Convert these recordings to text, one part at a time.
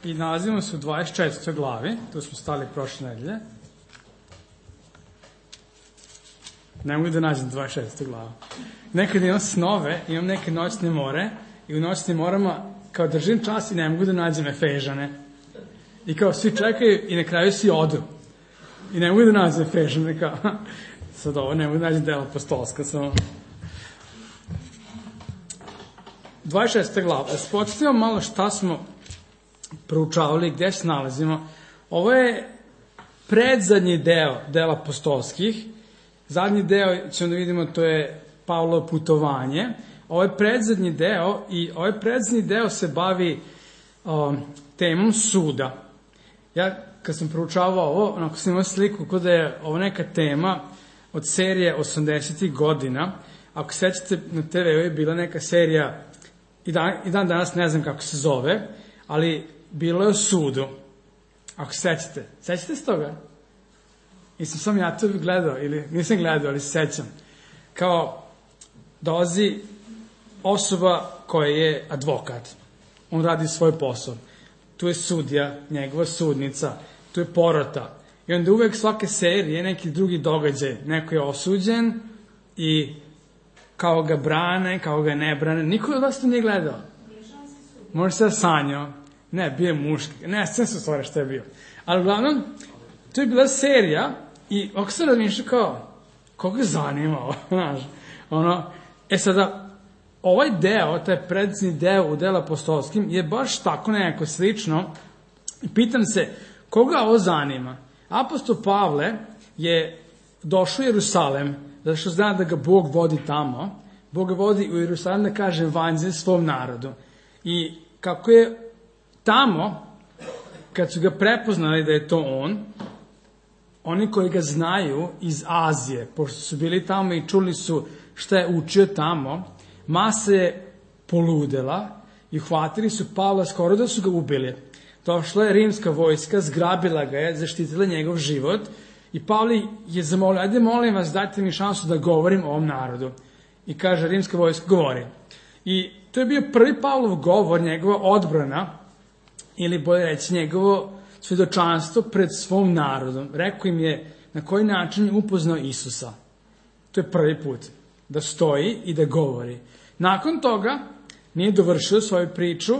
i nalazimo se u 24. glavi, tu smo stali prošle nedelje. Ne mogu da nađem 26. glavu. Nekad imam snove, imam neke noćne more i u noćnim morama kao držim čas i ne mogu da nađem Efežane. I kao svi čekaju i na kraju svi odu. I ne mogu da nađem Efežane, kao sad ovo ne mogu da nađem dela apostolska, samo 26. glava. Da se podsjetimo malo šta smo proučavali, gde se nalazimo. Ovo je predzadnji deo dela apostolskih. Zadnji deo, ćemo da vidimo, to je Pavlovo putovanje. Ovo je predzadnji deo i ovaj predzadnji deo se bavi temom suda. Ja, kad sam proučavao ovo, onako sam imao sliku kod da je ovo neka tema od serije 80. godina. Ako sećate, na TV-u je bila neka serija, i dan danas ne znam kako se zove, ali bilo je o sudu. Ako sećate. Sećate se toga? Nisam sam ja to gledao, ili nisam gledao, ali se sećam. Kao dolazi osoba koja je advokat. On radi svoj posao. Tu je sudija, njegova sudnica, tu je porota. I onda uvek svake serije neki drugi događaj. Neko je osuđen i kao ga brane, kao ga ne brane. Niko od vas to nije gledao. Možda se sanjao. Ne, bio je muški. Ne, sve su stvari što je bio. Ali uglavnom, to je bila serija i ako se razmišlja kao, koga zanima ovo, znaš, sada, ovaj deo, taj predzadnji deo u delu apostolskim je baš tako nekako slično. Pitam se, koga ovo zanima? Apostol Pavle je došao u Jerusalem, zato što zna da ga Bog vodi tamo. Bog ga vodi u Jerusalem da kaže evanđelje svom narodu. I kako je tamo, kad su ga prepoznali da je to on, oni koji ga znaju iz Azije, pošto su bili tamo i čuli su šta je učio tamo, masa je poludela i uhvatili su Pavla, skoro da su ga ubili. Došla je rimska vojska, zgrabila ga je, zaštitila njegov život i Pavle je zamolio, ajde molim vas, dajte mi šansu da govorim o ovom narodu. I kaže rimska vojska, govori. I to je bio prvi Pavlov govor, njegova odbrana, ili bolje reći njegovo svedočanstvo pred svom narodom. Rekao im je na koji način je upoznao Isusa. To je prvi put. Da stoji i da govori. Nakon toga nije dovršio svoju priču,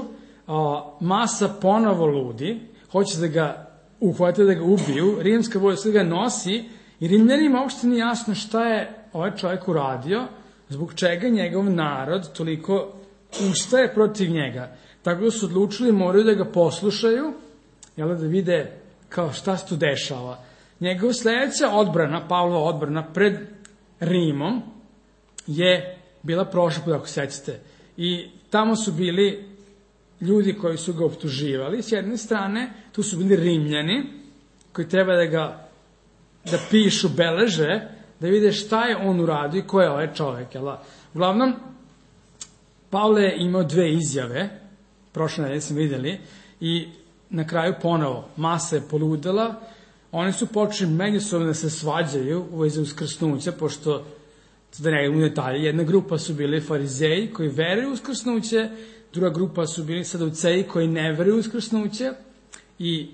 masa ponovo ludi, hoće da ga uhvate, da ga ubiju, rimska vojska ga nosi i Rimljanima uopšte nije jasno šta je ovaj čovjek uradio, zbog čega njegov narod toliko ustaje protiv njega. Tako da su odlučili, moraju da ga poslušaju, da vide kao šta se tu dešava. Njegova sledeća odbrana, Pavlova odbrana pred Rimom, je bila prošla put, ako sećate. I tamo su bili ljudi koji su ga optuživali. S jedne strane, tu su bili Rimljani, koji treba da pišu, beleže, da vide šta je on uradio i ko je ovaj čovjek. Uglavnom, Pavle je imao dve izjave, prošle nedelje smo videli, i na kraju ponovo, masa je poludela, oni su počeli međusobno da se svađaju u vezi uskrsnuća, pošto, da ne idemo u detalje, jedna grupa su bili farizeji koji veruju u uskrsnuće, druga grupa su bili saduceji koji ne veruju u uskrsnuće i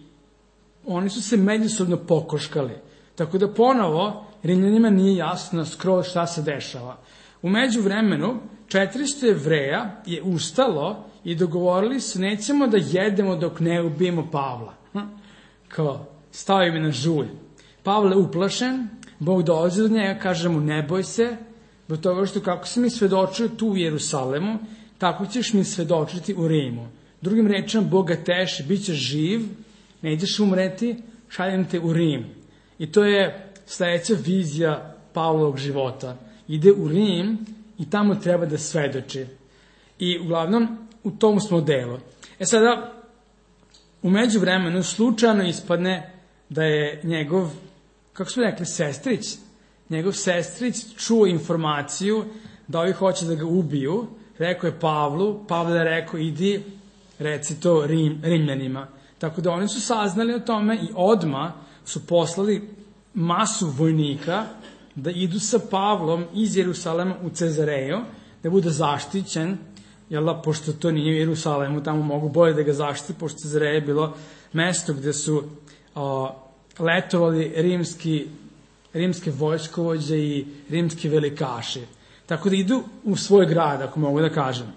oni su se međusobno pokoškali. Tako da ponovo Rimljanima nije jasno skroz šta se dešava. U međuvremenu 400 Jevreja je ustalo i dogovorili se, nećemo da jedemo dok ne ubijemo Pavla. Kao, stavio mi na žulj. Pavle uplašen, Bog dolazi do njega, kaže mu, ne boj se, zbog toga što kako si mi svedočio tu u Jerusalemu, tako ćeš mi svedočiti u Rimu. Drugim rečima, Bog ga teši, bit ćeš živ, nećeš umreti, šaljem te u Rim. I to je sledeća vizija Pavlovog života. Ide u Rim i tamo treba da svedoči. I uglavnom, u tom smo delu. Sada, u međuvremenu slučajno ispadne da je njegov, kako smo rekli, njegov sestrić čuo informaciju da ovi hoće da ga ubiju. Rekao je Pavlu, Pavle je rekao, idi, reci to Rimljanima. Tako da oni su saznali o tome i odmah su poslali masu vojnika da idu sa Pavlom iz Jerusalema u Cezareju, da bude zaštićen pošto to nije u Jerusalemu, tamo mogu bolje da ga zaštiti, pošto Cezareja je bilo mesto gde su letovali rimske vojskovođe i rimski velikaši. Tako da idu u svoj grad, ako mogu da kažem.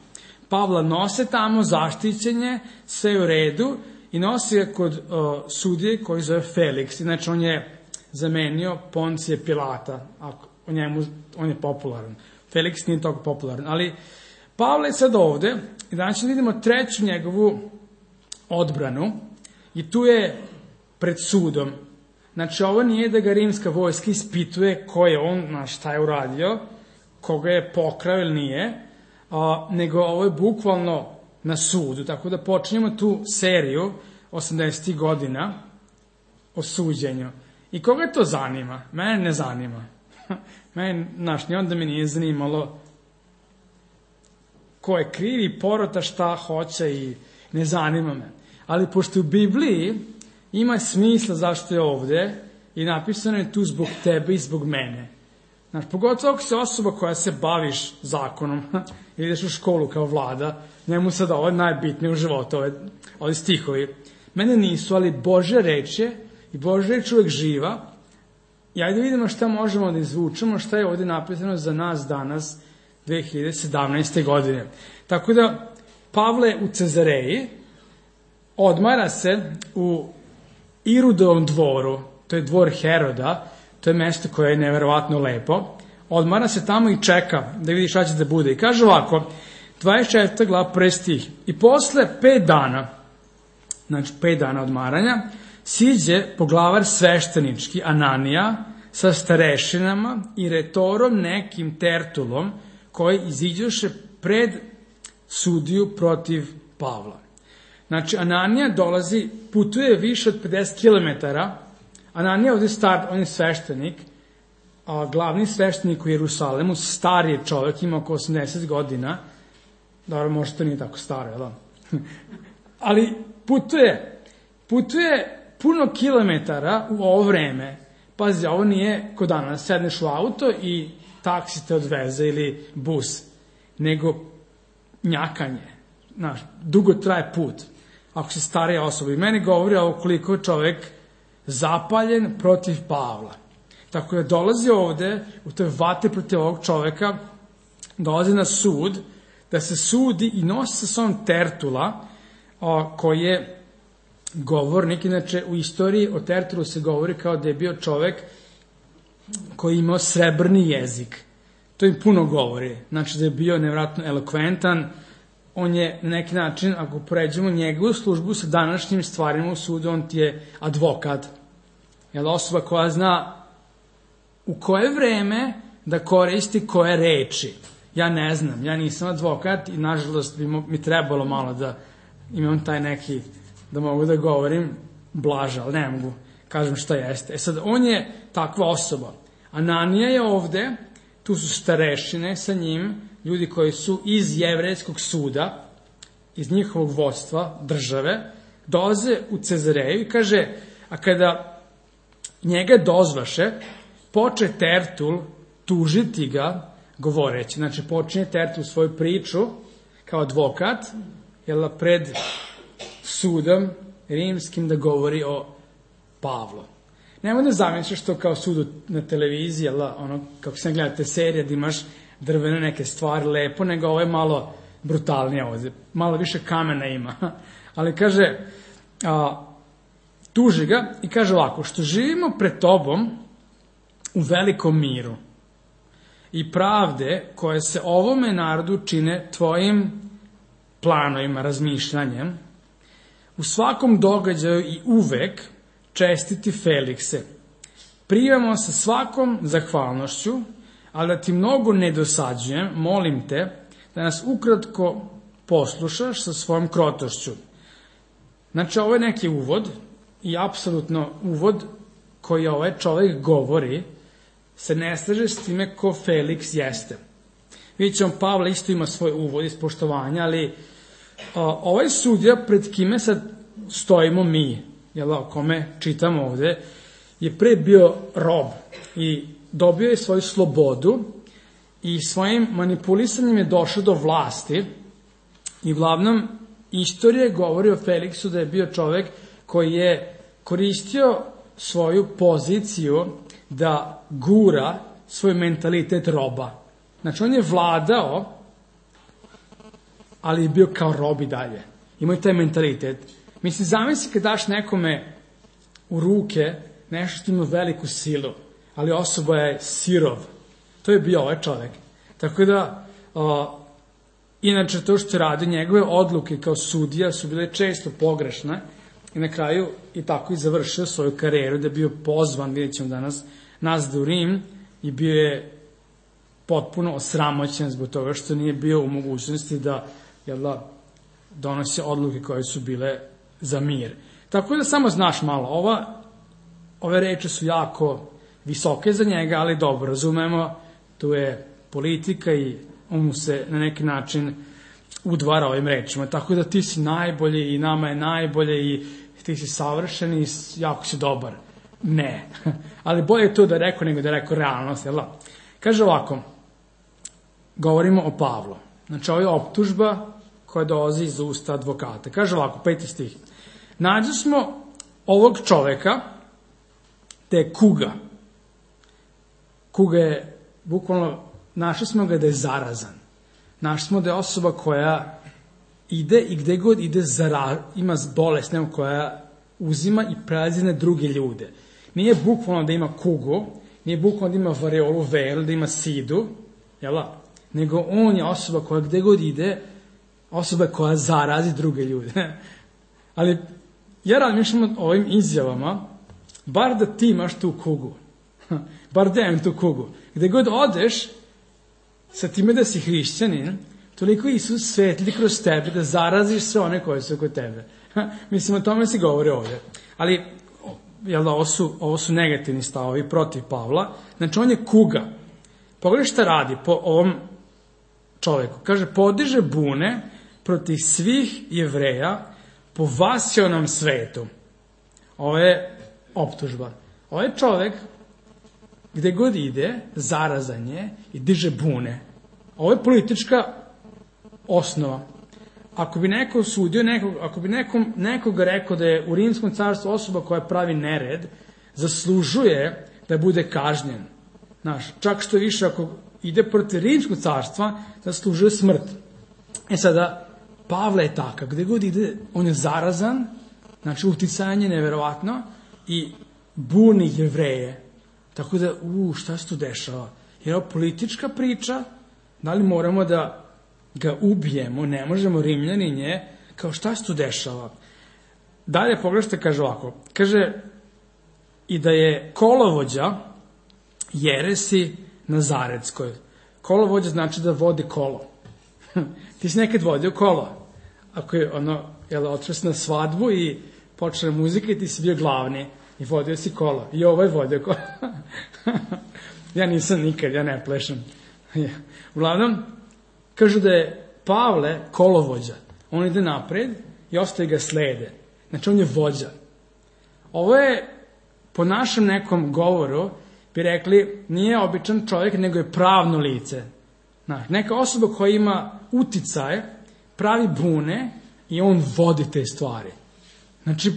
Pavla nose tamo, zaštićenje, sve u redu, i nosi ga kod sudije koji zove Feliks. Inače, on je zamenio Poncije Pilata. On je popularan. Feliks nije toliko popularan. Ali Pavle je sad ovde i danas ćemo vidimo treću njegovu odbranu i tu je pred sudom. Znači, ovo nije da ga rimska vojska ispituje ko je on, šta je uradio, koga je pokrao ili nije, nego ovo je bukvalno na sudu. Tako da počinjemo tu seriju 80. godina o suđenju. I koga to zanima? Mene ne zanima. Ni onda mi nije zanimalo ko je krivi, porota šta hoće i ne zanima me. Ali pošto u Bibliji ima smisla zašto je ovde i napisano je tu zbog tebe i zbog mene. Znači, pogotovo ako si osoba koja se baviš zakonom, ili ideš u školu kao Vlada, njemu sad ovo je najbitnije u životu, ovi stihovi. Mene nisu, ali Božja reč je i Božja reč uvek živa. I ajde vidimo šta možemo da izvučemo, šta je ovde napisano za nas danas, 2017. godine. Tako da, Pavle u Cezareji odmara se u Irudovom dvoru, to je dvor Heroda, to je mesto koje je neverovatno lepo, odmara se tamo i čeka da vidi šta će da bude. I kaže ovako, 24. glava 1. stih, i posle 5 dana, znači 5 dana odmaranja, siđe poglavar sveštenički Ananija sa starešinama i retorom nekim Tertulom, koji iziđoše pred sudiju protiv Pavla. Znači, Ananija dolazi, putuje više od 50 km. Ananija ovdje star, on je sveštenik, a glavni sveštenik u Jerusalemu, star je čovjek, ima oko 80 godina, dobro, možda to nije tako staro, jel? Ali putuje puno kilometara u ovo vreme. Pazi, ovo nije ko danas, sedneš u auto i taksi te odveze ili bus, nego njakanje. Znaš, dugo traje put, ako si starija osoba. I meni govori ovo koliko je čovek zapaljen protiv Pavla. Tako da dolazi ovde, u toj vatri protiv ovog čoveka, dolazi na sud, da se sudi i nosi sa sobom Tertula, koji je govornik. Inače, u istoriji o Tertulu se govori kao da je bio čovek koji je imao srebrni jezik. To im puno govori. Znači da je bio nevratno elokventan. On je na neki način, ako poređemo njegovu službu sa današnjim stvarima u sudu, on ti je advokat. Je osoba koja zna u koje vreme da koristi koje reči. Ja ne znam, ja nisam advokat i nažalost bi mi trebalo malo da imam taj neki, da mogu da govorim blaže, ali ne mogu, kažem šta jeste. Sad, on je takva osoba. Ananija je ovde, tu su starešine sa njim, ljudi koji su iz jevrejskog suda, iz njihovog vodstva, države, dolaze u Cezareju i kaže, a kada njega dozvaše, poče Tertul tužiti ga, govoreći. Znači, počinje Tertul svoju priču kao advokat, pred sudom rimskim da govori o Pavlu. Nemoj da zamisliš što kao sudu na televiziji, kako se gledate serije, da imaš drvene neke stvari lepo, nego ovo je malo brutalnije ovde. Malo više kamena ima. Ali kaže, tuži ga i kaže ovako, što živimo pred tobom u velikom miru i pravde koje se ovome narodu čine tvojim planovima, razmišljanjem, u svakom događaju i uvek čestiti Felikse. Primamo sa svakom zahvalnošću, ali da ti mnogo ne dosađujem, molim te da nas ukratko poslušaš sa svojom krotošću. Znači, ovo je neki uvod i apsolutno uvod koji ovaj čovjek govori se ne slaže s time ko Feliks jeste. Vidjet ćemo, Pavle isto ima svoj uvod iz poštovanja, ali ovaj sudija pred kime sad stojimo mi, o kome čitamo ovde, je pre bio rob i dobio je svoju slobodu i svojim manipulisanjem je došao do vlasti I uglavnom, istorija govori o Feliksu da je bio čovek koji je koristio svoju poziciju da gura svoj mentalitet roba. Znači, on je vladao, ali je bio kao rob i dalje. Imao je taj mentalitet. Mislim, zamisli kad daš nekome u ruke nešto što ima veliku silu, ali osoba je sirov. To je bio ovaj čovek. Tako da, inače to što radi, njegove odluke kao sudija su bile često pogrešne i na kraju i tako i završio svoju karijeru, da je bio pozvan, vidjet ćemo danas, nazad u Rim i bio je potpuno osramoćen zbog toga što nije bio u mogućnosti da donosi odluke koje su bile za mir. Tako da samo znaš malo, ove reči su jako visoke za njega, ali dobro, razumemo, tu je politika i on mu se na neki način udvara ovim rečima. Tako da ti si najbolji i nama je najbolje i ti si savršen i jako si dobar. Ne. Ali bolje je to da je rekao nego da je rekao realnost. Kaže ovako, govorimo o Pavlu. Znači, ovo je optužba koja dolazi iz usta advokata. Kaže ovako, 5. stih. Nađu smo ovog čoveka, te je kuga. Kuga je, bukvalno, našli smo ga da je zarazan. Našli smo da je osoba koja ide i gde god ide ima bolest, nema koja uzima i prelazi na druge ljude. Nije bukvalno da ima kugu, nije bukvalno da ima vareolu velu, da ima sidu, nego on je osoba koja gde god ide, osoba koja zarazi druge ljude. Ali ja razmišljam o ovim izjavama, bar da ti imaš tu kugu, bar da imam tu kugu. Gde god odeš, sa time da si hrišćanin, toliko Isus svetli kroz tebe da zaraziš sve one koje su oko tebe. Mislim, o tome se govori ovde. Ali, ovo su negativni stavovi protiv Pavla. Znači, on je kuga. Pogledaj šta radi po ovom čoveku. Kaže, podiže bune protiv svih Jevreja po vasionom svetu. Ovo je optužba. Ovo je čovek gde god ide, zarazan je i diže bune. Ovo je politička osnova. Ako bi neko osudio nekog, ako bi nekoga rekao da je u Rimskom carstvu osoba koja pravi nered, zaslužuje da bude kažnjen. Čak što više, ako ide protiv Rimskog carstva, zaslužuje smrt. Sada, Pavle je takav, gde god ide, on je zarazan, znači uticanje neverovatno i buni Jevreje. Tako da, šta se tu dešava? Je ovo politička priča? Da li moramo da ga ubijemo? Ne možemo, Rimljanin je, kao šta se tu dešava? Dalje pogledajte, kaže ovako. Kaže i da je kolovođa jeresi Nazaretskoj. Kolovođa znači da vodi kolo. Ti si nekad vodio kolo. Ako je otišao si na svadbu i počela muzika i ti si bio glavni. I vodio si kolo. I ovo je vodio kolo. Ja nisam nikad, ja ne plešam. Uglavnom, kažu da je Pavle kolovođa. On ide napred i ostali ga slede. Znači, on je vođa. Ovo je, po našem nekom govoru, bi rekli, nije običan čovjek, nego je pravno lice. Neka osoba koja ima uticaj, pravi bune i on vodi te stvari. Znači,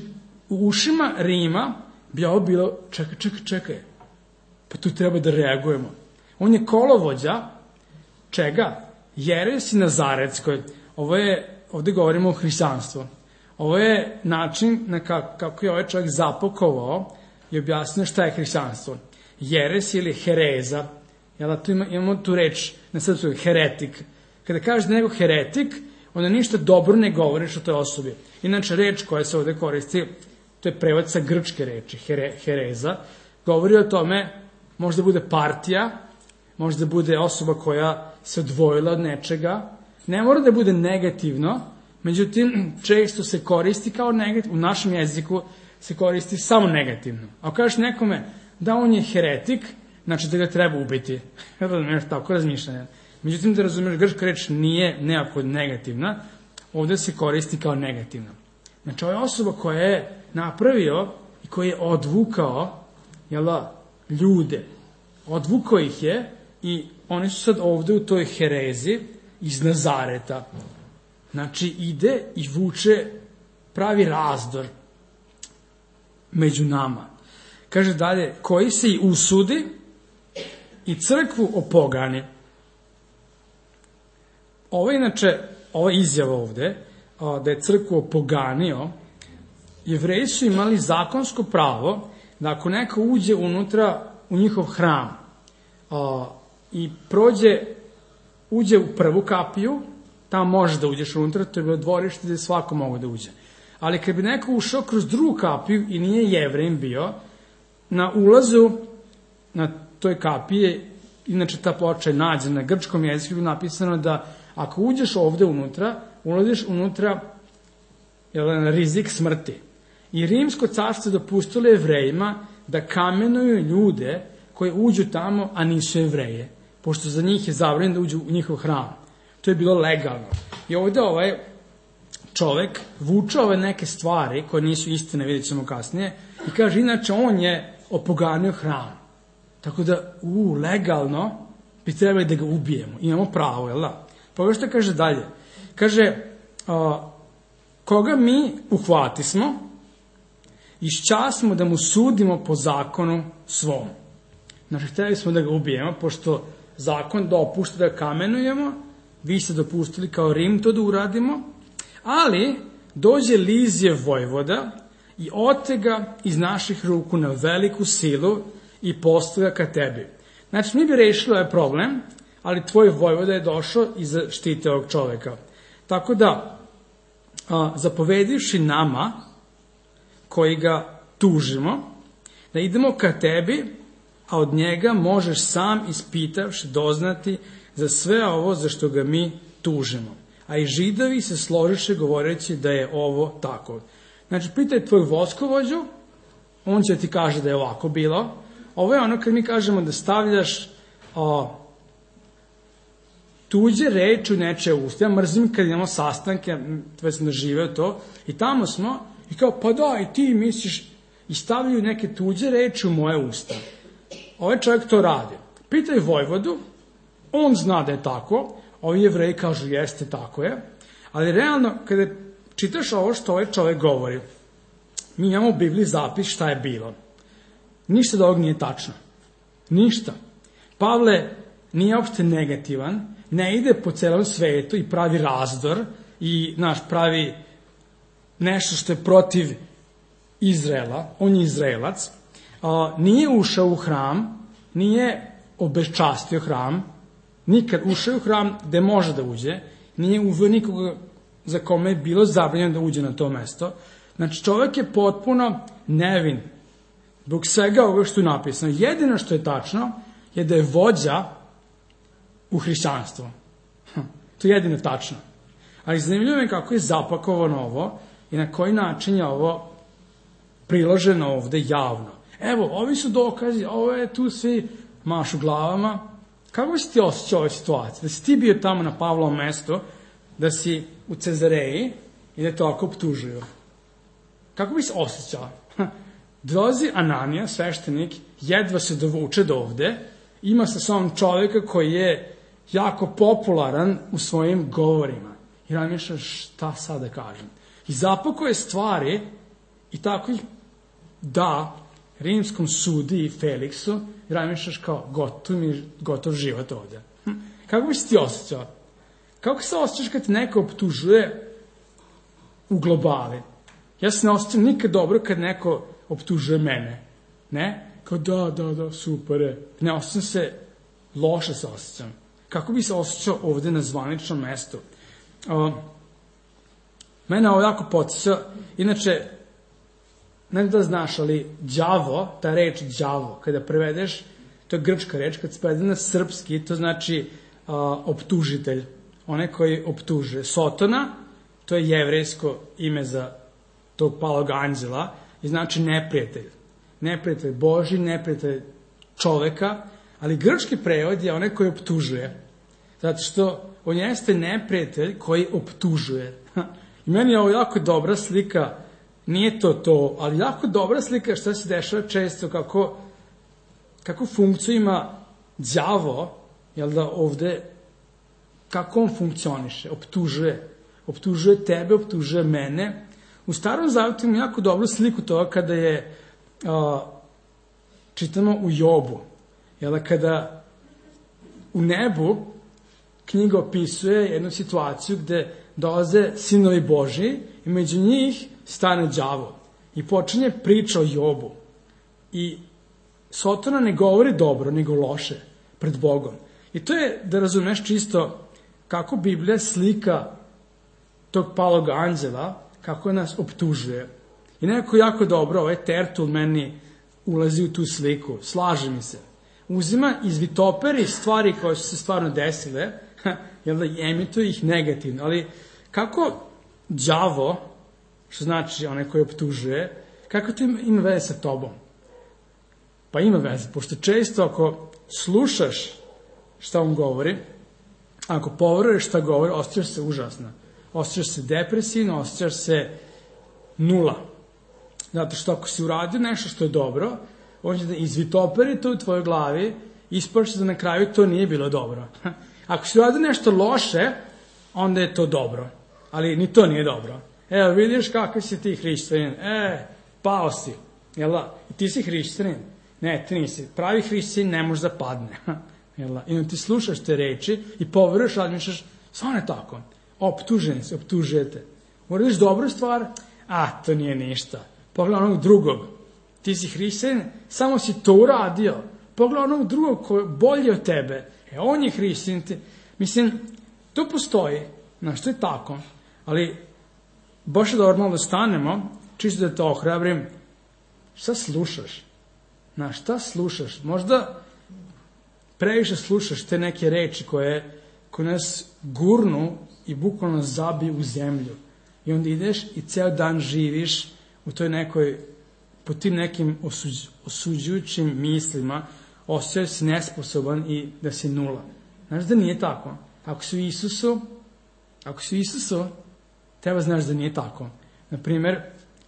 u ušima Rima bi ovo bilo, čekaj, pa tu treba da reagujemo. On je kolovođa, čega? Jeresi Nazaretskoj. Ovde govorimo o hrišćanstvu. Ovo je način kako je ovaj čovjek zapakovao i objasnio šta je hrišćanstvo. Jeres ili hereza, imamo tu reč na srpsku, heretik. Kada kažeš da je nego heretik, onda ništa dobro ne govoriš o toj osobi. Inače, reč koja se ovde koristi, to je prevod sa grčke reči, hereza, govori o tome, možda bude partija, možda bude osoba koja se odvojila od nečega, ne mora da bude negativno, međutim, često se koristi kao negativno, u našem jeziku se koristi samo negativno. Ako kažeš nekome da on je heretik, znači da ga treba ubiti. Razumiješ, tako razmišljanje. Međutim, da razumiješ, grčka reč nije nekako negativna, ovde se koristi kao negativna. Znači, ovo je osoba koja je napravio i koja je odvukao ljude. Odvukao ih je i oni su sad ovde u toj herezi iz Nazareta. Znači, ide i vuče, pravi razdor među nama. Kaže dalje, koji se i usudi i crkvu opogani. Ova izjava ovde, da je crkvu opoganio, Jevreji su imali zakonsko pravo da ako neko uđe unutra u njihov hram i uđe u prvu kapiju, tamo možeš da uđeš unutra, to je bilo dvorište gde svako mogo da uđe. Ali kad bi neko ušao kroz drugu kapiju i nije Jevrejin bio, na ulazu na toj kapiji, inače ta ploča je nađena na grčkom jeziku, napisano da ako uđeš ovde unutra, ulaziš unutra na rizik smrti. I rimsko carstvo dopustilo Jevrejima da kamenuju ljude koji uđu tamo, a nisu Jevreje, pošto za njih je zabranjeno da uđu u njihov hram. To je bilo legalno. I ovde ovaj čovek vuče ove neke stvari koje nisu istine, vidjet ćemo kasnije, i kaže, inače, on je opoganio hram. Tako da, legalno bi trebali da ga ubijemo. Imamo pravo, jel da? Pa što kaže dalje? Kaže, koga mi uhvatismo, išćasmo da mu sudimo po zakonu svom. Znači, hteli smo da ga ubijemo, pošto zakon dopušta da kamenujemo, vi ste dopustili kao Rim to da uradimo, ali dođe Lizije vojvoda i otega iz naših ruku na veliku silu i postavlja ka tebi. Znači, mi bi rešili ovaj problem, ali tvoj vojvoda je došao i zaštite ovog čoveka. Tako da, zapovedivši nama, koji ga tužimo, da idemo ka tebi, a od njega možeš sam ispitavši doznati za sve ovo za što ga mi tužimo. A i Židovi se složiše govoreći da je ovo tako. Znači, pitaj tvoj voskovođu, on će ti kaže da je ovako bilo. Ovo je ono kad mi kažemo da stavljaš tuđe reči u nečije usta. Ja mrzim kad imamo sastanke, već sam doživeo to, i tamo smo, i kao, pa da, i ti misliš, i stavljaju neke tuđe reči u moje usta. Ovaj čovjek to radi. Pitaj vojvodu, on zna da je tako, ovi Jevreji kažu jeste, tako je, ali realno, kada čitaš ovo što ovaj čovjek govori, mi imamo u Bibliji zapis šta je bilo. Ništa da ovog nije tačno. Ništa. Pavle nije uopšte negativan, ne ide po celom svetu i pravi razdor i pravi nešto što je protiv Izraela, on je Izraelac, nije ušao u hram, nije obeščastio hram, nikad ušao u hram gde može da uđe, nije uveo nikoga za kome je bilo zabranjeno da uđe na to mesto. Znači, čovjek je potpuno nevin zbog svega ovoga što je napisano. Jedino što je tačno je da je vođa u hrišćanstvu. To je jedino tačno. Ali zanimljivo je kako je zapakovano ovo i na koji način je ovo priloženo ovde javno. Evo, ovi su dokazi, ovo je tu svi mašu glavama. Kako bi si ti osjećao ovoj situaciji? Da si ti bio tamo na Pavlovom mestu, da si u Cezareji i da te ovako optužuju. Kako bi se osjećao? Dolazi Ananija, sveštenik, jedva se dovuče do ovde, ima sa sobom čovjeka koji je jako popularan u svojim govorima. I razmišlja šta sad da kažem. I zapakuje stvari i tako ih da rimskom sudi i Feliksu i razmišljaš kao gotov život ovde. Kako bi se ti osjećao? Kako se osjećaš kad te neko optužuje u globali? Ja se ne osjećam nikad dobro kad neko optužuje mene. Ne? Kao da, super je. Ne osjećam se, loše se osjećam. Kako bi se osjećao ovde na zvaničnom mestu? Mene ovo jako podsjeća. Inače, ne da znaš, ali đavo, ta reč đavo, kada prevedeš, to je grčka reč, kad se prevede na srpski, to znači optužitelj, onaj koji optužuje. Sotona, to je jevrejsko ime za tog palog anđela, i znači neprijatelj. Neprijatelj Boži, neprijatelj čoveka, ali grčki prevod je onaj koji optužuje. Zato što on jeste neprijatelj koji optužuje. I meni je ovo jako dobra slika, nije to, ali jako dobra slika šta se dešava često, kako funkciju ima đavo, jel da ovde, kako on funkcioniše, optužuje. optužuje tebe, optužuje mene. U Starom Zavetu imamo jako dobru sliku toga kada je, čitamo u Jobu, kada u nebu knjiga opisuje jednu situaciju gde dolaze sinovi Božji i među njih stane đavo i počinje priča o Jobu. I Sotona ne govori dobro, nego loše pred Bogom. I to je, da razumeš čisto, kako Biblija slika tog palog anđela, kako nas optužuje. I nekako jako dobro, ovaj Tertul meni ulazi u tu sliku, slaže mi se. Uzima, izvitoperi stvari koje su se stvarno desile, i emituje ih negativno. Ali kako đavo, što znači onaj koji optužuje, kako to ima veze sa tobom? Pa ima veze, pošto često ako slušaš šta on govori, ako poveruješ šta govori, osjećaš se užasno. Osjećaš se depresivno, osjećaš se nula. Zato što ako si uradio nešto što je dobro, on će da izvitoperi to u tvojoj glavi, ispašće da na kraju to nije bilo dobro. Ako si uradio nešto loše, onda je to dobro. Ali ni to nije dobro. Evo, vidiš kakav si ti hrišćanin. Pao si. Jel da? I ti si hrišćanin. Ne, ti nisi. Pravi hrišćanin ne može da padne. Jel da? I onda ti slušaš te reči i poveruješ, razmišljaš, stvarno je tako. Optužen si, optužujete. Uradiš dobru stvar, to nije ništa. Pogledaj onog drugog. Ti si hrišćanin, samo si to uradio. Pogledaj onog drugog koji je bolji od tebe. On je hrišćanin. Mislim, to postoji. Znaš, to je tako. Ali, baš je dobro malo da stanemo, čisto da te ohrabrim. Šta slušaš? Znaš, šta slušaš? Možda previše slušaš te neke reči koje nas gurnu i bukvalno zabiju u zemlju. I onda ideš i ceo dan živiš u toj nekoj, po tim nekim osuđujućim mislima, osjećaš si nesposoban i da si nula. Znaš da nije tako. Ako si u Isusu, treba znaš da nije tako. Naprimer,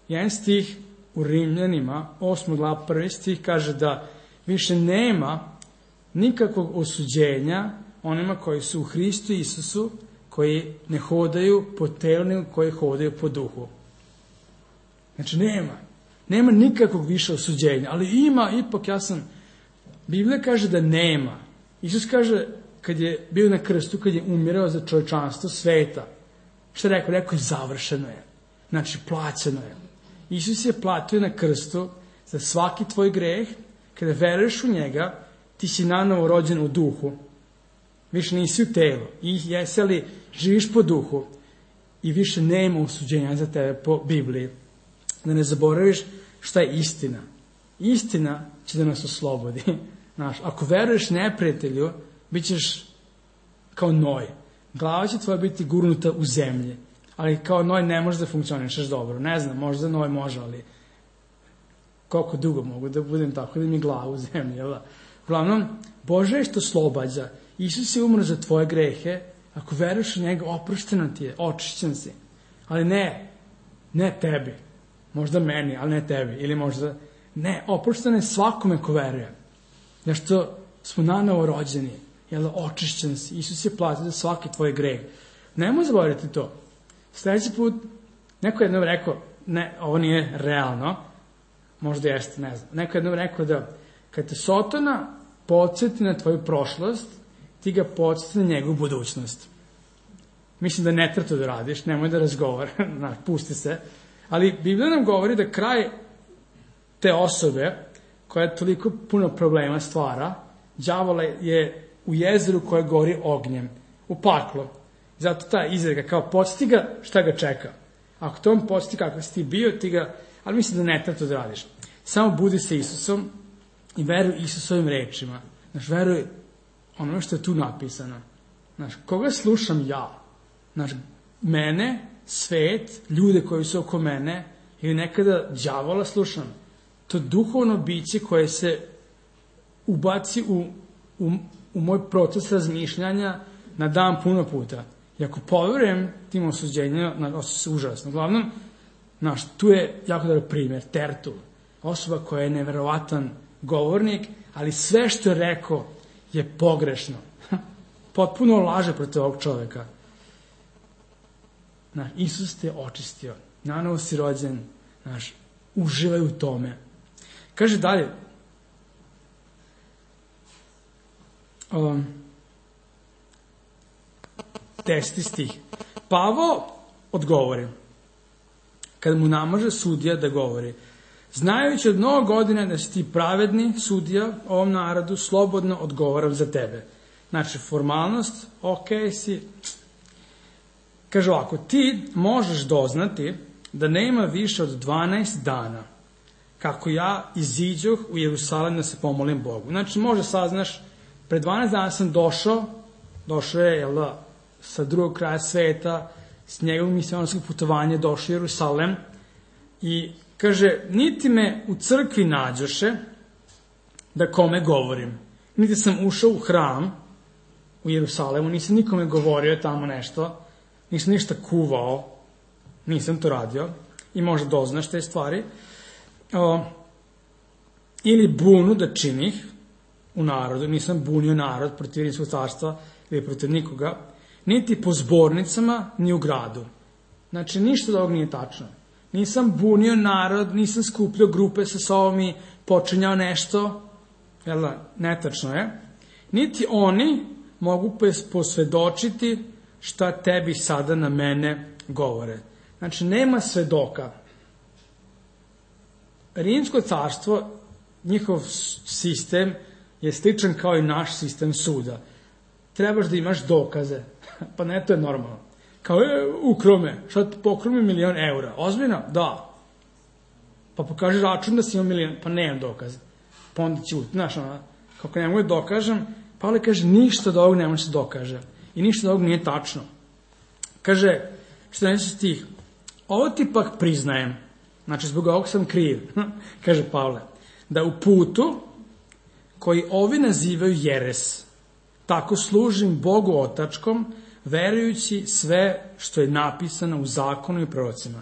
jedan stih u Rimljanima, 8. glava 1. stih, kaže da više nema nikakvog osuđenja onima koji su u Hristu Isusu, koji ne hodaju po telu, nego koji hodaju po duhu. Znači, nema nikakvog više osuđenja, ali ima, ipak Biblija kaže da nema. Isus kaže, kad je bio na krstu, kad je umirao za čovječanstvo sveta, šta je rekao? Rekao je, završeno je. Znači, plaćeno je. Isus je platio na krstu za svaki tvoj greh. Kada veruješ u njega, ti si nanovo rođen u duhu. Više nisi u telu. I jesi li živiš po duhu i više nema osuđenja za tebe po Bibliji. Da ne zaboraviš šta je istina. Istina će da nas oslobodi. Znaš, ako veruješ neprijatelju, bit ćeš kao noj. Glava će tvoja biti gurnuta u zemlji. Ali kao noj ne možeš da funkcionišeš dobro. Ne znam, možda noj može, ali koliko dugo mogu da budem tako da mi glava u zemlji. Uglavnom, Bože je što oslobađa. Isus je umro za tvoje grehe. Ako veruješ u njega, oprošteno ti je, očišćen si. Ali ne tebi. Možda meni, ali ne tebi. Ili možda, oprošteno je svakome ko veruje. Zašto smo nanovo rođeni. Očišćen si. Isus je platio za svaki tvoj greh. Nemoj zaboraviti to. Sljedeći put, neko je jednom rekao, ovo nije realno, možda jeste, ne znam. Neko je jednom rekao da kad te Sotona podsjeti na tvoju prošlost, ti ga podsjeti na njegovu budućnost. Mislim da ne treba to da radiš, nemoj da razgovara, pusti se. Ali Biblija nam govori da kraj te osobe, koja toliko puno problema stvara, đavola je u jezeru koje gori ognjem, u paklu. Zato ta izreka, kao podsjeti ga šta ga čeka. Ako to on podsjeti kako si ti bio, ti ga, ali mislim da ne treba to da radiš. Samo budi sa Isusom i veruj Isusovim rečima. Znaš, veruj ono što je tu napisano. Znaš, koga slušam ja? Znaš, mene, svet, ljude koji su oko mene, ili nekada đavola slušam. To duhovno biće koje se ubaci u moj proces razmišljanja na dan puno puta. I ako poverujem tim osuđenjima, osjećam se užasno. Uglavnom, znaš, tu je jako dobar primjer, Tertul. Osoba koja je neverovatan govornik, ali sve što je rekao je pogrešno. Potpuno laže protiv ovog čoveka. Isus te očistio. Nanovo si rođen. Uživaj u tome. Kaže dalje. Deseti stih. Pavao odgovori. Kad mu namaže sudija da govori. Znajući od mnogo godina da si ti pravedni sudija ovom narodu, slobodno odgovaram za tebe. Znači, formalnost, ok si. Kaže ovako, ti možeš doznati da nema više od 12 dana kako ja iziđoh u Jerusalim da se pomolim Bogu. Znači, može saznaš, pre 12 dana sam došao je, sa drugog kraja sveta, s njegovog misionarskog putovanja došao u Jerusalim i kaže, niti me u crkvi nađoše da kome govorim. Niti sam ušao u hram u Jerusalimu, nisam nikome govorio tamo nešto, nisam ništa kuvao, nisam to radio i možda doznaš te stvari. Ili bunu da činih u narodu, nisam bunio narod protiv Rimskog carstva ili protiv nikoga, niti po zbornicama, ni u gradu. Znači, ništa od ovog nije tačno. Nisam bunio narod, nisam skupljao grupe sa sobom i počinjao nešto, netačno je. Niti oni mogu posvedočiti šta tebi sada na mene govore. Znači, nema svedoka. Rimsko carstvo, njihov sistem je sličan kao i naš sistem suda. Trebaš da imaš dokaze. Pa ne, to je normalno. Kao, ukrao me, šta ti pokrao mi 1.000.000 eura? Ozbiljno? Da. Pa pokaži račun da si imao 1.000.000, pa nemam dokaze. Pa onda ćuti, znaš, kako ne mogu da dokažem, Pavle kaže, ništa od ovog ne može se dokaže. I ništa od ovog nije tačno. Kaže, 14 stih, ovo ti pak priznajem, znači zbog ovog sam kriv, kaže Pavle, da u putu koji ovi nazivaju jeres, tako služim Bogu otačkom, verujući sve što je napisano u zakonu i prorocima.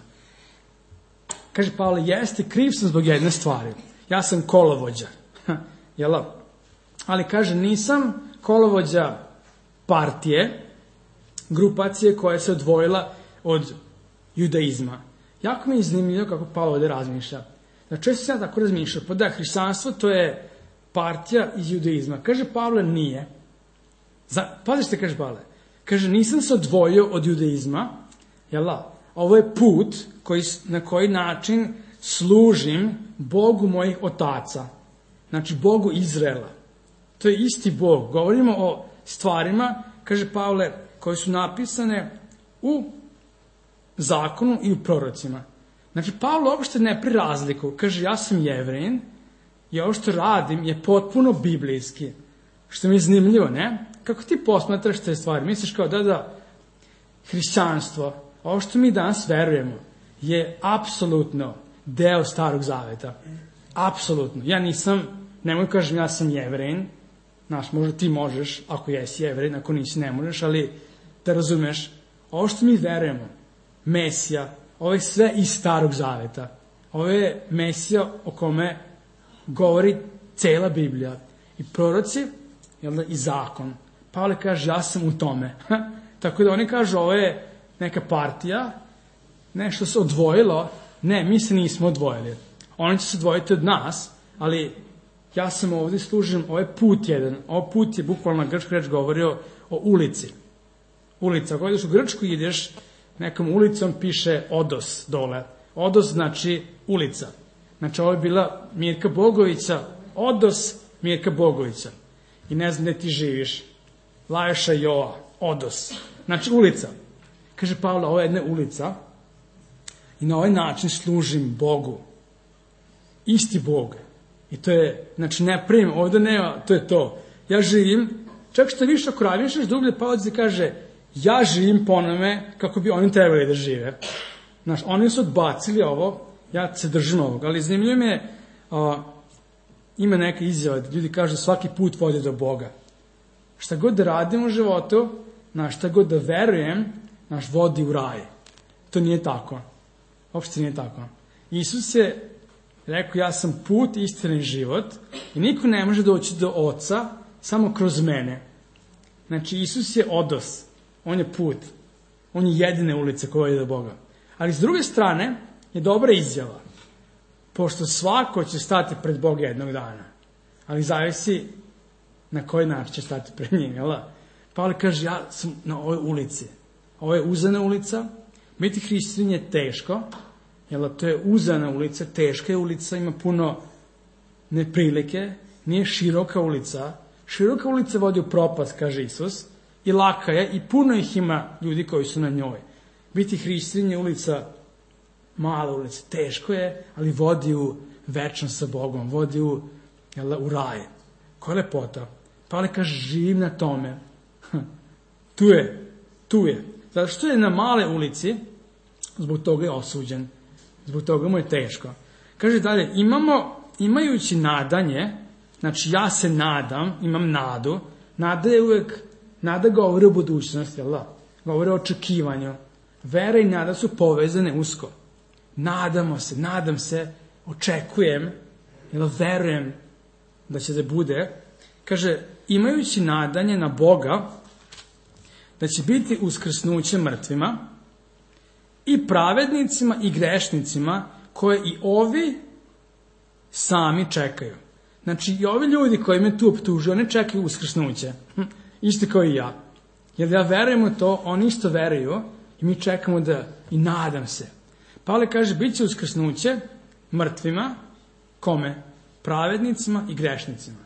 Kaže Pavle, jeste, kriv sam zbog jedne stvari. Ja sam kolovođa. Ali kaže, nisam kolovođa partije, grupacije koja se odvojila od judaizma. Jako mi je zanimljivo kako Pavle ovde razmišlja. Da često se ja tako razmišljam, pa da, hrišćanstvo to je partija iz judaizma. Kaže Pavle, nije. Pazi što kaže Pavle. Kaže, nisam se odvojio od judaizma, ovo je put na koji način služim Bogu mojih otaca. Znači, Bogu Izraela. To je isti Bog. Govorimo o stvarima, kaže Pavle, koje su napisane u zakonu i u prorocima. Znači, Pavle uopšte ne pri razliku. Kaže, ja sam Jevrin i ovo što radim je potpuno biblijski. Što mi je zanimljivo, ne? Kako ti posmatraš te stvari? Misliš kao, da, hrišćanstvo, ovo što mi danas verujemo, je apsolutno deo Starog Zaveta. Apsolutno. Ja nisam, nemoj kažem, ja sam Jevrin. Znaš, možda ti možeš, ako jesi Jevrin, ako nisi ne možeš, ali da razumeš, ovo što mi verujemo, Mesija, ovo je sve iz Starog Zaveta. Ovo je Mesija o kome govori cela Biblija. I proroci, i zakon. Pavle kaže, ja sam u tome. Tako da oni kažu, ovo je neka partija, nešto se odvojilo. Ne, mi se nismo odvojili. Oni će se odvojiti od nas, ali ja sam ovdje služim, ovo je put jedan. Ovo put je bukvalno na grčku reč govorio o ulici. Ulica, ako ideš u Grčku i ideš nekom ulicom, piše Odos dole. Odos znači ulica. Znači, ovo je bila Mirka Bogovića, Odos Mirka Bogovića. I ne znam gde ti živiš. Lajoša Joa, Odos. Znači, ulica. Kaže Pavle, ovo je jedna ulica i na ovaj način služim Bogu. Isti Bog. I to je, znači, ne primim, ovdje nema, to je to. Ja živim, čak što više ako razmišljaš dublje, Pavle se kaže, ja živim po onome kako bi oni trebali da žive. Znaš, oni su odbacili ovo, ja se držim ovog, ali zanimljivo mi je, ima neka izjava da ljudi kažu svaki put vodi do Boga. Šta god da radim u životu, šta god da verujem, vodi u raj. To nije tako. Uopšte nije tako. Isus je rekao, ja sam put, istina i život i niko ne može doći do Oca samo kroz mene. Znači, Isus je Odos. On je put. On je jedine ulice koja vodi do Boga. Ali s druge strane je dobra izjava, pošto svako će stati pred Boga jednog dana, ali zavisi na koji način će stati pred njim, jel da? Pavle kaže, ja sam na ovoj ulici. Ovo je uzana ulica, biti hrišćanin je teško, jel da? To je uzana ulica, teška je ulica, ima puno neprilike, nije široka ulica. Široka ulica vodi u propast, kaže Isus, i laka je, i puno ih ima ljudi koji su na njoj. Biti hrišćanin je ulica, mala ulica, teško je, ali vodi u večnost sa Bogom, vodi u raj. Koja je lepota. Pavle kaže, živim na tome. Tu je. Zato što je na male ulici, zbog toga je osuđen. Zbog toga mu je teško. Kaže dalje, imajući nadanje, znači ja se nadam, imam nadu, nada je uvek, nada govori o budućnosti, jel da? Govori o očekivanju. Vera i nada su povezane usko. Nadam se, očekujem, verujem da će da bude. Kaže, imajući nadanje na Boga, da će biti uskrsnuće mrtvima i pravednicima i grešnicima koje i ovi sami čekaju. Znači, i ovi ljudi koji me tu optužuju, oni čekaju uskrsnuće. Isto kao i ja. Jer ja verujem u to, oni isto veruju i mi čekamo i nadam se. Pavle kaže, bit će uskrsnuće mrtvima, kome? Pravednicima i grešnicima.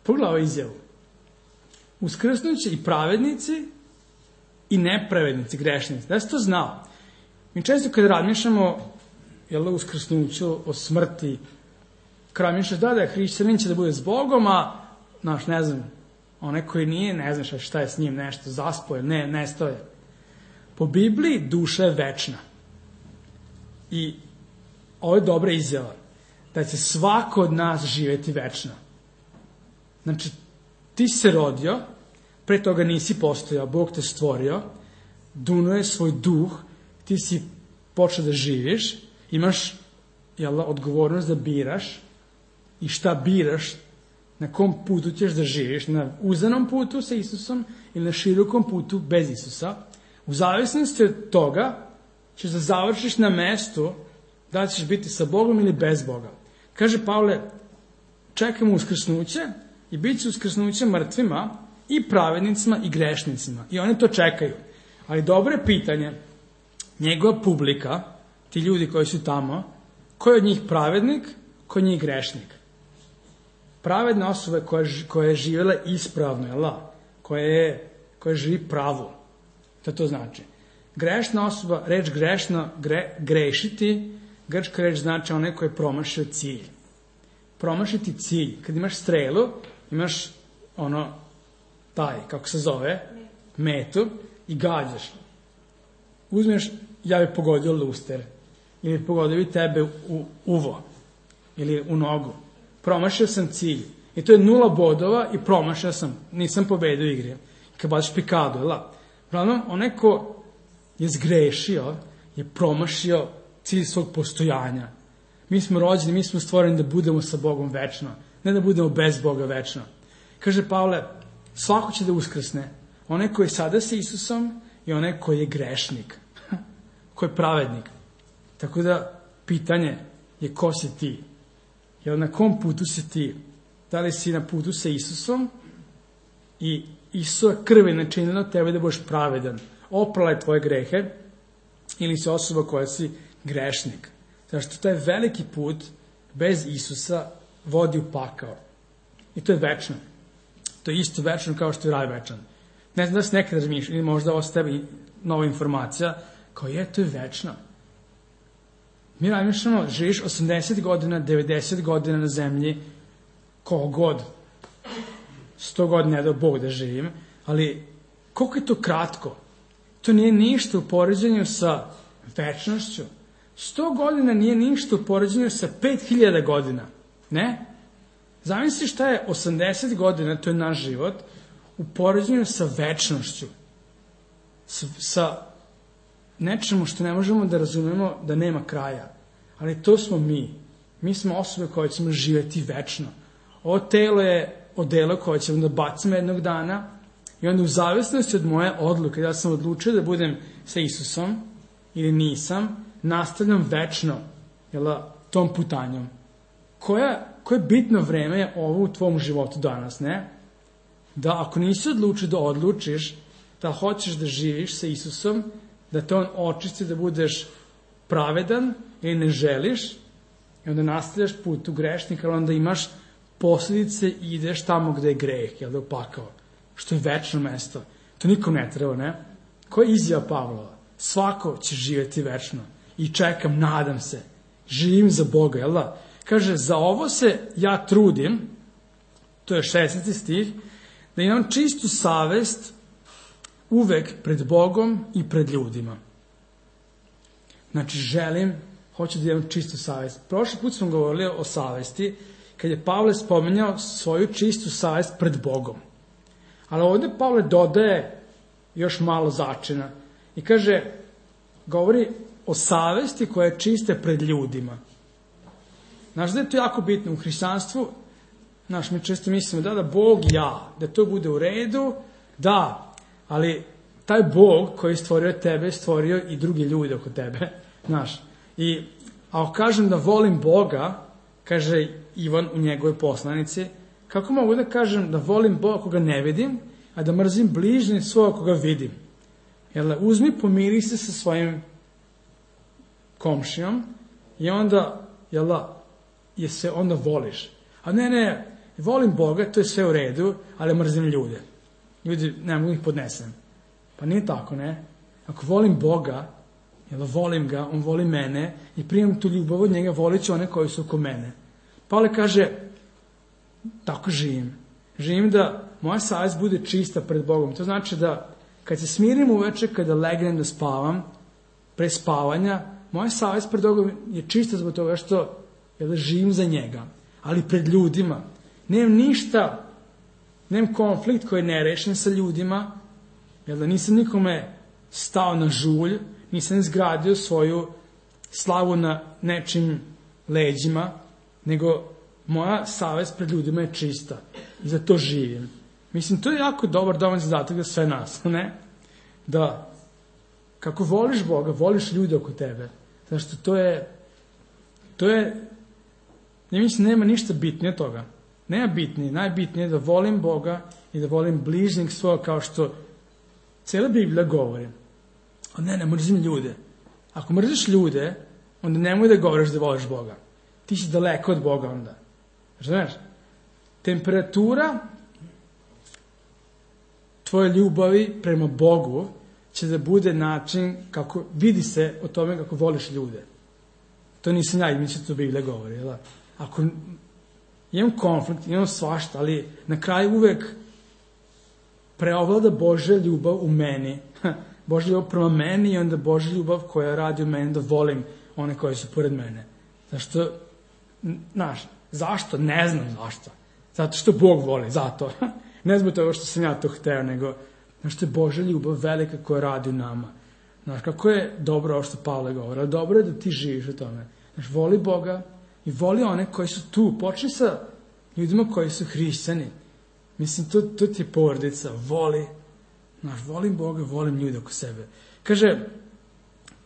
Pogledaj ovu izjavu. Uskrsnuće i pravednici i nepravednici, grešnici. Da si to znao? Mi često kada razmišljamo o uskrsnuću, o smrti, kada razmišljaš da je hrišćanin će da bude s Bogom, a ne znam, onaj koji nije, ne znaš šta je s njim, nešto zaspoje, nestao je. Po Bibliji duša je večna. I ovo je dobra izjava, da će svako od nas živjeti večno. Znači, ti se rodio, pre toga nisi postojao, Bog te stvorio, dunuo je svoj duh, ti si počeo da živiš, imaš odgovornost da biraš i šta biraš, na kom putu ćeš da živiš, na uzanom putu sa Isusom ili na širokom putu bez Isusa. U zavisnosti od toga ćeš da završiš na mestu da ćeš biti sa Bogom ili bez Boga. Kaže Pavle, čekamo uskrsnuće i bit će uskrsnuće mrtvima i pravednicima i grešnicima. I oni to čekaju. Ali dobro je pitanje, njegova publika, ti ljudi koji su tamo, ko je od njih pravednik, ko je od njih grešnik? Pravedna osoba koja je živjela ispravno, koja živi pravo. To znači. Grešna osoba, reč grešno, grešiti, grčka reč znači onaj koji je promašio cilj. Promašiti cilj. Kad imaš strelu, imaš kako se zove, metu i gađaš. Uzmeš, ja bih pogodio luster, ili pogodio bi tebe u uvo, ili u nogu. Promašio sam cilj. I to je 0 bodova i promašio sam. Nisam pobedio u igri. Kad baš pikadu, Pravno, onaj ko je zgrešio, je promašio cilj svog postojanja. Mi smo rođeni, mi smo stvoreni da budemo sa Bogom večno, ne da budemo bez Boga večno. Kaže Pavle, svako će da uskrsne. Onaj koji je sada sa Isusom i onaj koji je grešnik, koji je pravednik. Tako da, pitanje je ko si ti? Jer na kom putu si ti? Da li si na putu sa Isusom i Isusova krv je načinila tebe da budeš pravedan, oprala je tvoje grehe, ili si osoba koja si grešnik. Zašto taj veliki put bez Isusa vodi u pakao. I to je večno. To je isto večno kao što je raj večan. Ne znam da se nekad razmišlja, ili možda ovo s tebi nova informacija, kao to je večno. Mi razmišljamo, živiš 80 godina, 90 godina na zemlji, koliko god, 100 godina ne da Bog da živim, ali koliko je to kratko? To nije ništa u poređenju sa večnošću. 100 godina nije ništa u poređenju sa 5000 godina. Ne? Zamisli šta je 80 godina, to je naš život, u poređenju sa večnošću. Sa nečemu što ne možemo da razumemo da nema kraja. Ali to smo mi. Mi smo osobe koje ćemo živjeti večno. Ovo telo je odelo koje ćemo da bacimo jednog dana, I onda u zavisnosti od moje odluke, da sam odlučio da budem sa Isusom ili nisam, nastavljam večno tom putanjom. Koje bitno vreme je ovo u tvom životu danas, ne? Da ako nisi odlučio da odlučiš da hoćeš da živiš sa Isusom, da te on očisti, da budeš pravedan ili ne želiš, i onda nastavljaš put u grešnika, ali onda imaš posljedice i ideš tamo gde je greh, da je pakao, što je večno mesto. To nikom ne treba, ne? Koja je izjava Pavlova? Svako će živjeti večno. I čekam, nadam se, živim za Boga, jel da? Kaže, za ovo se ja trudim, to je 16. stih, da imam čistu savest uvek pred Bogom i pred ljudima. Znači, hoću da imam čistu savest. Prošli put smo govorili o savesti, kad je Pavle spominjao svoju čistu savest pred Bogom. Ali ovdje Pavle dodaje još malo začina i kaže, govori o savesti koja je čista pred ljudima. Znaš da je to jako bitno u hrišćanstvu? Znaš, mi često mislimo da Bog ja, da to bude u redu, da, ali taj Bog koji je stvorio tebe, stvorio i drugi ljudi oko tebe, znaš. I ako kažem da volim Boga, kaže Ivan u njegovoj poslanici, kako mogu da kažem da volim Boga koga ne vidim, a da mrzim bližnjeg svoga koga vidim? Uzmi, pomiri se sa svojim komšijom i onda, je se onda voliš. A ne, volim Boga, to je sve u redu, ali mrzim ljude. Ljudi, ne mogu ih podnesem. Pa nije tako, ne? Ako volim Boga, volim ga, on voli mene i primam tu ljubav od njega, volit ću one koji su oko mene. Pavle kaže, tako živim. Živim da moja savest bude čista pred Bogom. To znači da kad se smirim uveče, kada legnem da spavam, pre spavanja, moja savest pred Bogom je čista zbog toga što živim za njega. Ali pred ljudima. Nemam ništa, nemam konflikt koji je nerešen sa ljudima, nisam nikome stao na žulj, nisam izgradio svoju slavu na nečim leđima, nego moja savest pred ljudima je čista. I za to živim. Mislim, to je jako dobar dovoljno zadatak za sve nas, ne? Da, kako voliš Boga, voliš ljude oko tebe. Zašto to je, ne mislim, nema ništa bitnije toga. Nema bitnije, najbitnije je da volim Boga i da volim bližnjeg svoga, kao što cijela Biblija govori. A ne mrzim ljude. Ako mrziš ljude, onda nemoj da govoriš da voliš Boga. Ti si daleko od Boga onda. Znaš, temperatura tvoje ljubavi prema Bogu će da bude način kako vidi se o tome kako voliš ljude. To nisam ja, mi će to Biblija govori. Jel? Ako imam konflikt, imam svašta, ali na kraju uvek preovlada Božja ljubav u meni. Božja ljubav prema meni i onda Božja ljubav koja radi u meni da volim one koji su pored mene. Zašto? Ne znam zašto. Zato što Bog voli, zato. Ne zbog toga što sam ja to hteo, nego što je Božja ljubav velika koja radi u nama. Znaš, kako je dobro ovo što Pavle govori, ali dobro je da ti živiš o tome. Znaš, voli Boga i voli one koji su tu. Počni sa ljudima koji su hrišćani. Mislim, to ti je porodica. Voli. Znaš, volim Boga, volim ljude oko sebe. Kaže,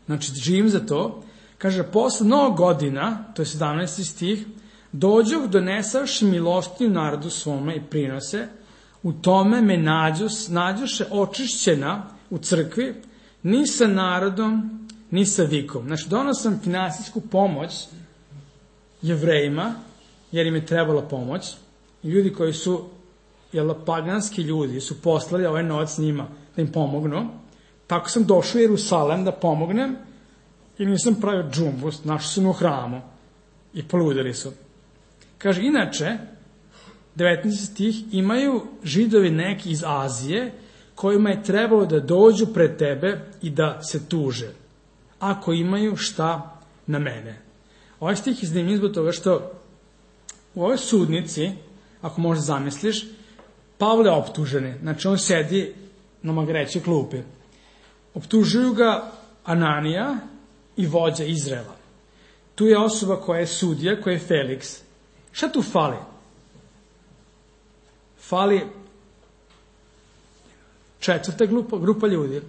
znači, živim za to. Kaže, posle mnogo godina, to je 17. stih, dođoh donesavši milostiju narodu svome i prinose, u tome me nađoše očišćena u crkvi, ni sa narodom, ni sa vikom. Znači, donosam finansijsku pomoć Jevrejima, jer im je trebala pomoć, i ljudi koji su, paganski ljudi, su poslali ovaj novac njima da im pomognu. Tako sam došao u Jerusalem da pomognem i nisam pravio džumbus, našli su me u hramu i poludeli su. Kaže, inače, 19. stih, imaju Židovi neki iz Azije kojima je trebalo da dođu pred tebe i da se tuže, ako imaju šta na mene. Ovaj stih je zanimljiv zbog toga što u ovoj sudnici, ako možda zamisliš, Pavle je optužen. Znači, on sedi na magrećoj klupi. Optužuju ga Ananija i vođa Izraela. Tu je osoba koja je sudija, koja je Feliks. Šta tu fali? Fali četvrta grupa ljudi.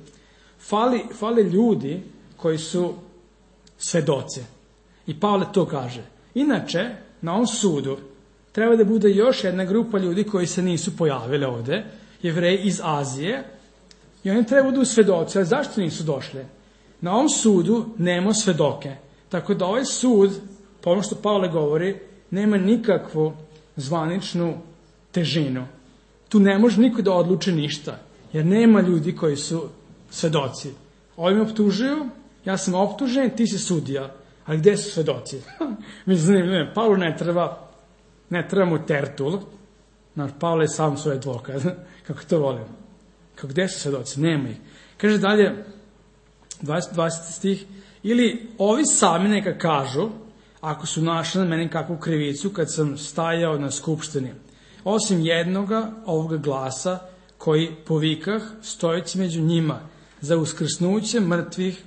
Fali ljudi koji su svedoci. I Pavle to kaže. Inače, na ovom sudu treba da bude još jedna grupa ljudi koji se nisu pojavili ovde, Jevreji iz Azije, i oni treba da budu svedoci. Ali zašto nisu došli? Na ovom sudu nema svedoke. Tako da ovaj sud, po ono što Pavle govori, nema nikakvu zvaničnu težinu. Tu ne može niko da odluči ništa, jer nema ljudi koji su svedoci. Ovi me optužuju, ja sam optužen, ti si sudija. Ali gde su svedoci? Mislim, Pavlu ne treba mu tertul. Pavle je sam svoj advokat. Kako to volim. Gde su svedoci? Nema ih. Kaže dalje, 20. stih, ili ovi sami neka kažu, ako su našli na meni kakvu krivicu kad sam stajao na skupštini, osim jednoga ovoga glasa koji povikah stojeći među njima, za uskrsnuće mrtvih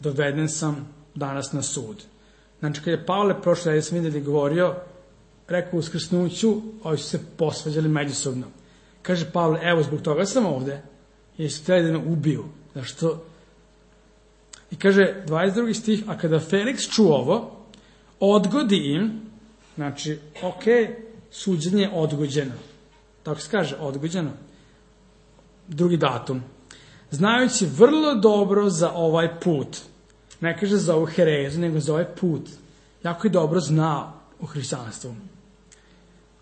doveden sam danas na sud. Znači, kad je Pavle prošle nedelje sam vidjeli govorio, rekao uskrsnuću, ovi su se posvađali međusobno. Kaže Pavle, evo, zbog toga sam ovde, jer su htjeli da me ubiju. Zašto? I kaže, 22. stih, a kada Feliks čuo ovo, odgodi im, znači, suđenje je odgođeno. Tako se kaže, odgođeno. Drugi datum. Znajući vrlo dobro za ovaj put, ne kaže za ovu herezu, nego za ovaj put, jako je dobro znao u hrišćanstvu.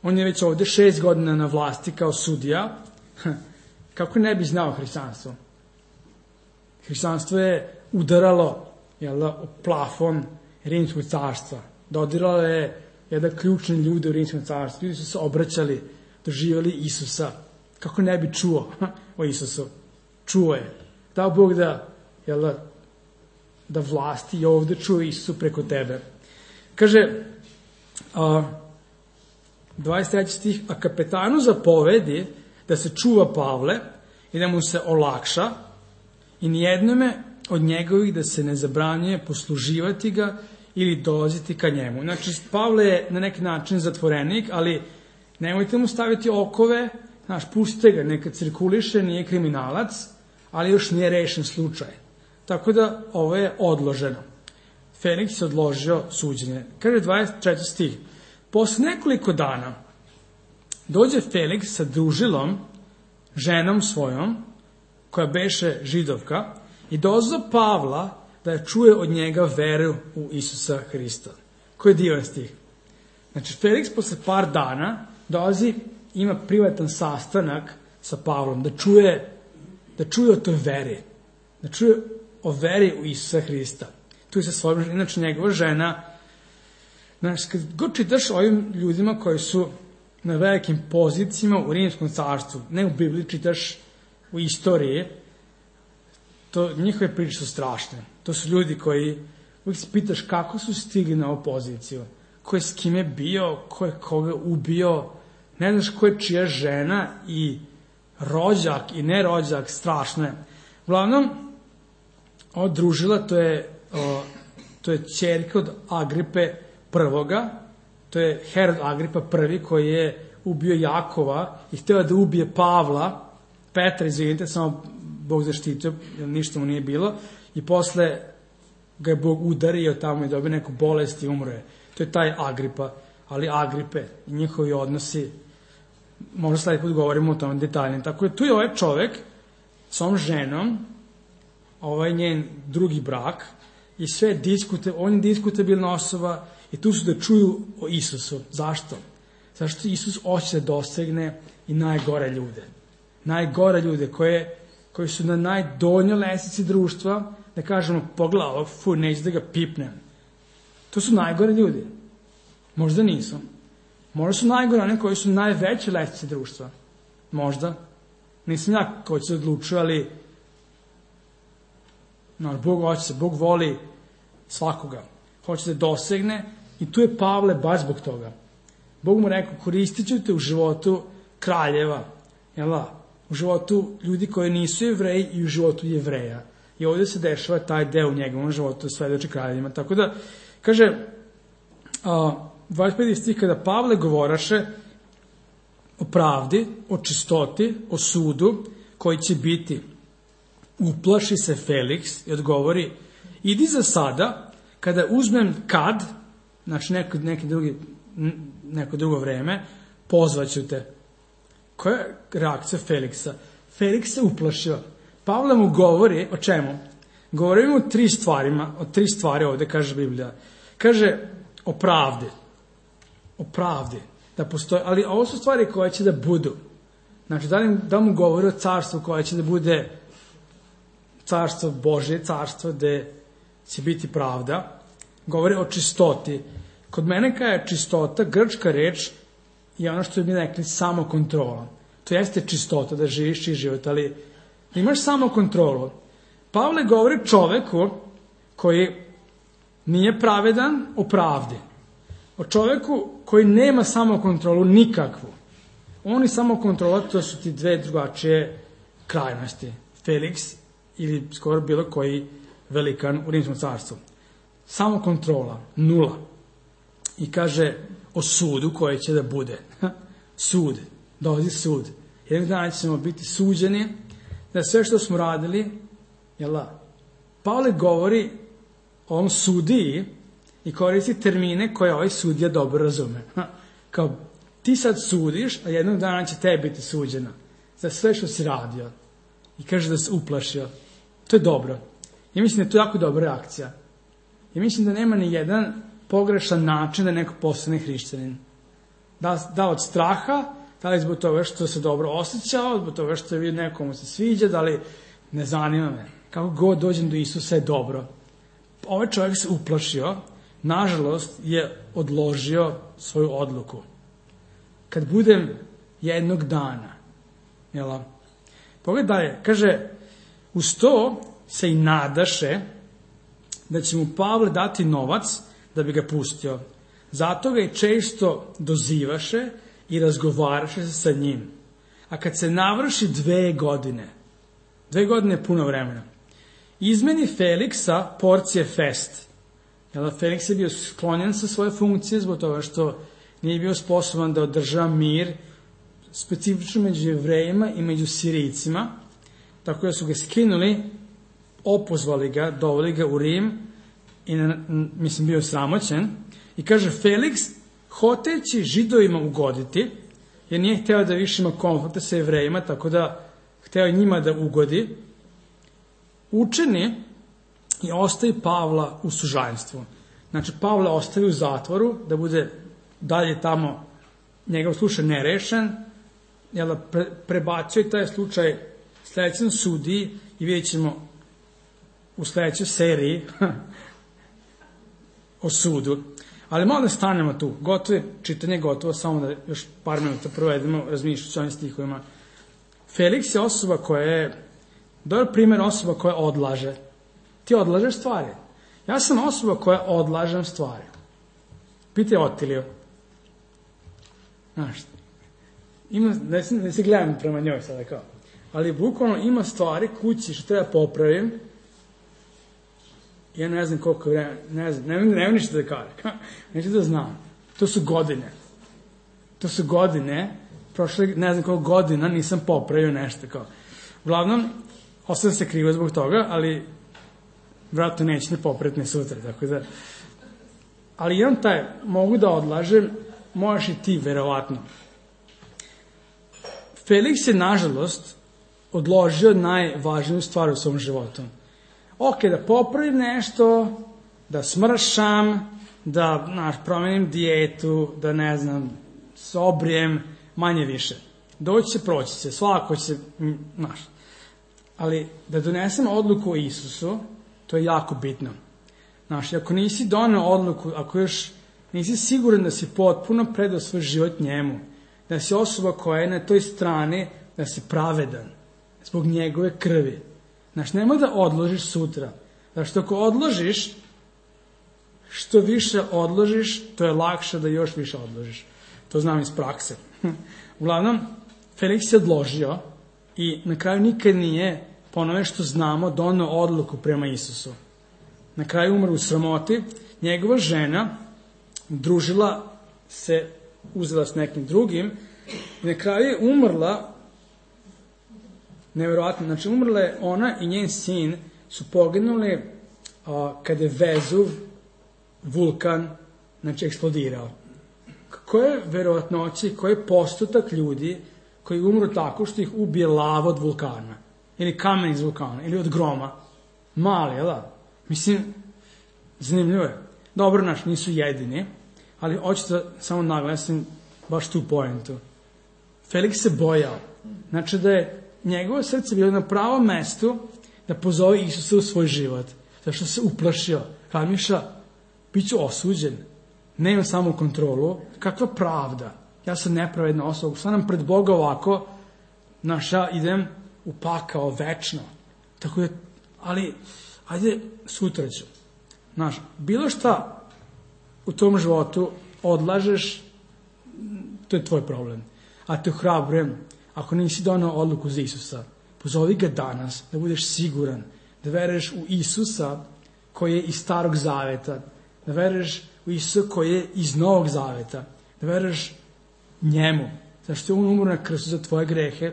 On je već ovde 6 godina na vlasti kao sudija. Kako ne bi znao hrišćanstvo? Hrišćanstvo je udaralo u plafon Rimskog carstva. Dodiralo je jedan ključni ljudi u Rimskom carstvu. Ljudi su se obraćali, doživjeli Isusa. Kako ne bi čuo o Isusu? Čuo je. Dao Bog da vlasti i ovde čuje Isusu preko tebe. Kaže, 23. stih, a kapetanu zapovedi da se čuva Pavle i da mu se olakša i nijednome od njegovih da se ne zabranjuje posluživati ga ili dolaziti ka njemu. Znači, Pavle je na neki način zatvorenik, ali nemojte mu staviti okove, pustite ga, neka cirkuliše, nije kriminalac, ali još nije rešen slučaj. Tako da ovo je odloženo. Feliks je odložio suđenje. Kaže 24. stih. Posle nekoliko dana dođe Feliks sa družilom, ženom svojom, koja beše židovka, i dozva Pavla da čuje od njega veru u Isusa Hrista. Koji je divan stih? Znači, Feliks posle par dana dolazi, ima privatan sastanak sa Pavlom, da čuje o toj veri, da čuje o veri u Isusa Hrista. Tu je sa svojom ženom, inače njegova žena. Znači, kad god čitaš ovim ljudima koji su na velikim pozicijama u Rimskom carstvu, ne u Bibliji, čitaš u istoriji, njihove priče su strašne. To su ljudi koji, uvijek se pitaš kako su stigli na ovu poziciju, ko je s kime bio, ko je koga ubio, ne znaš ko je čija žena i rođak i nerođak, strašno je. Uglavnom, ova družila, to je ćerka od Agripe prvoga, to je Herod Agripa prvi koji je ubio Jakova i htio da ubije Petra, izvinite, samo Bog zaštitio, jer ništa mu nije bilo, i posle ga je Bog udario tamo i dobio neku bolest i umro je. To je taj Agripa, ali Agripe i njihovi odnosi, možda sledeći put govorimo o tome detaljnije. Tako je, tu je ovaj čovek s ovom ženom, ovaj njen drugi brak, i sve on je diskutabilna osoba i tu su da čuju o Isusu. Zašto? Zašto Isus hoće da dosegne i najgore ljude. Najgore ljude koji su na najdonjoj lestvici društva, da kažemo, pogledaj ovog, neću da ga pipnem. To su najgore ljudi. Možda nisu. Možda su najgore one koji su najveće lestvice društva. Možda. Nisam ja ko će se odlučuje, ali Bog hoće se, Bog voli svakoga. Hoće da dosegne i tu je Pavle baš zbog toga. Bog mu rekao, koristit ću te u životu kraljeva, u životu ljudi koji nisu Jevreji i u životu Jevreja. I ovdje se dešava taj deo u njegovom životu, svedoči kraljevima. Tako da, kaže, 25. stih, kada Pavle govoraše o pravdi, o čistoti, o sudu, koji će biti. Uplaši se Feliks i odgovori, idi za sada, kada uzmem kad, znači neko drugo vreme, pozvaću te. Koja je reakcija Feliksa? Feliks se uplašio. Pavle mu govori o čemu? Govori mu o tri stvari ovde, kaže Biblija. Kaže o pravdi. O pravdi. Da postoji, ali ovo su stvari koje će da budu. Znači, da mu govori o carstvu koje će da bude carstvo Božje, carstvo gde će biti pravda. Govori o čistoti. Kod mene kada je čistota, grčka reč, je ono što bi rekli samokontrola. To jeste čistota, da živiš čist život, ali da imaš samokontrolu. Pavle govori čoveku koji nije pravedan o pravdi. O čoveku koji nema samokontrolu nikakvu. On i samokontrola, to su ti dve drugačije krajnosti. Feliks ili skoro bilo koji velikan u Rimskom carstvu. Samokontrola, nula. I kaže o sudu koji će da bude. Sud, dolazi sud. Jednog dana ćemo biti suđeni da sve što smo radili, Pavle govori o ovom sudiji i koristi termine koje ovaj sudija dobro razume. Kao, ti sad sudiš, a jednog dana će tebi biti suđena za sve što si radio. I kaže da se uplašio. To je dobro. Ja mislim da je to jako dobra reakcija. Ja mislim da nema ni jedan pogrešan način da neko postane hrišćanin. Da od straha, da li zbog toga što se dobro osjećao, zbog toga što je nekomu se sviđa, da li ne zanima me. Kako god dođem do Isusa je dobro. Ovaj čovjek se uplašio, nažalost je odložio svoju odluku. Kad budem jednog dana, pogledaj, kaže, uz to se i nadaše da će mu Pavle dati novac da bi ga pustio. Zato ga i često dozivaše i razgovaraše se sa njim. A kad se navrši 2 godine, 2 godine je puno vremena, izmeni Feliksa porcije Fest. Feliks je bio sklonjen sa svoje funkcije zbog toga što nije bio sposoban da održava mir specifično među Jevrejima i među Sirijcima, tako da su ga skinuli, opozvali ga, doveli ga u Rim i bio sramoćen. I kaže, Feliks, hoteći Židovima ugoditi, jer nije hteo da više ima konflikta sa Jevrejima, tako da hteo njima da ugodi, učeni i ostavi Pavla u sužanjstvu. Znači, Pavla ostavi u zatvoru, da bude dalje tamo njegov slučaj nerešen, prebacio i taj slučaj sledećem sudiji i vidjet ćemo u sledećoj seriji o sudu. Ali malo da stanemo tu. Gotovo je čitanje, gotovo, samo da još par minuta provedemo razmišljajući o ovim stihovima. Feliks je osoba koja je, dobar primjer osoba koja odlaže. Ti odlažeš stvari. Ja sam osoba koja odlažem stvari. Pitaj Otiliju. Znaš, ne se gledam prema njoj sada kao. Ali bukvalno ima stvari kući što treba popravim. Ja ne znam koliko vremena, ne ništa da kažem. Neću da znam. To su godine, prošle ne znam koliko godina nisam popravio nešto kao. Uglavnom, ostavim se krivo zbog toga, ali vratno neće ne popraviti ni sutra, tako da. Ali imam mogu da odlažem, možeš i ti, verovatno. Feliks je, nažalost, odložio najvažniju stvar u svom životu. Da popravim nešto, da smršam, da promenim dijetu, da se obrijem, manje više. Doći će, proći će, svako će, ali da donesem odluku o Isusu, to je jako bitno. Ako nisi doneo odluku, ako još nisi siguran da si potpuno predao svoj život njemu, da si osoba koja je na toj strani, da si pravedan, zbog njegove krvi. Nemoj da odložiš sutra. Što ako odložiš, što više odložiš, to je lakše da još više odložiš. To znam iz prakse. Uglavnom, Feliks je odložio i na kraju nikad nije, po onome što znamo, doneo odluku prema Isusu. Na kraju umre u sramoti. Njegova žena družila se, uzela s nekim drugim i na kraju je umrla Neverovatno. Znači, umrle ona i njen sin su poginuli kada je Vezuv vulkan, znači, eksplodirao. Koje verovatnoći, koji je postotak ljudi koji umru tako što ih ubije lava od vulkana, ili kamen iz vulkana, ili od groma? Mali, jel da? Mislim, zanimljivo je. Dobro, nisu jedini, ali hoću da samo naglasim baš tu pojentu. Feliks se bojao. Znači da je njegovo srce bilo na pravom mestu da pozove Isusa u svoj život. Zato što se uplašio. Razmišlja, bit ću osuđen. Nemam samo kontrolu. Kakva pravda? Ja sam nepravedna osoba. Sad nam pred Boga ovako, ja idem u pakao večno. Tako je, ali, ajde, sutra ću. Bilo šta u tom životu odlažeš, to je tvoj problem. A te ohrabrujem, ako nisi donao odluku za Isusa, pozovi ga danas, da budeš siguran, da veruješ u Isusa koji je iz Starog Zaveta, da veruješ u Isusa koji je iz Novog Zaveta, da veruješ njemu, zato što je on umro na krstu za tvoje grehe,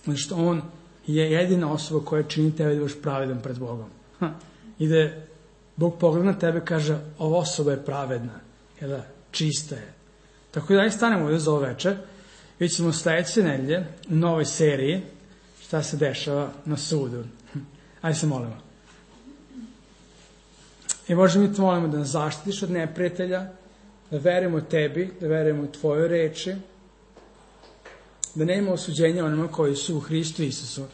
zato što on je jedina osoba koja čini tebe da budeš pravedan pred Bogom. I da Bog pogleda na tebe i kaže, ova osoba je pravedna, čista je. Tako da stanemo ovdje za ovo večer. Vidjet ćemo sledeće nedelje u novoj seriji šta se dešava na sudu. Ajde se molimo. I Bože, mi te molimo da nas zaštitiš od neprijatelja, da verujemo tebi, da verujemo u tvojoj reči, da nema osuđenja onima koji su u Hristu Isusu.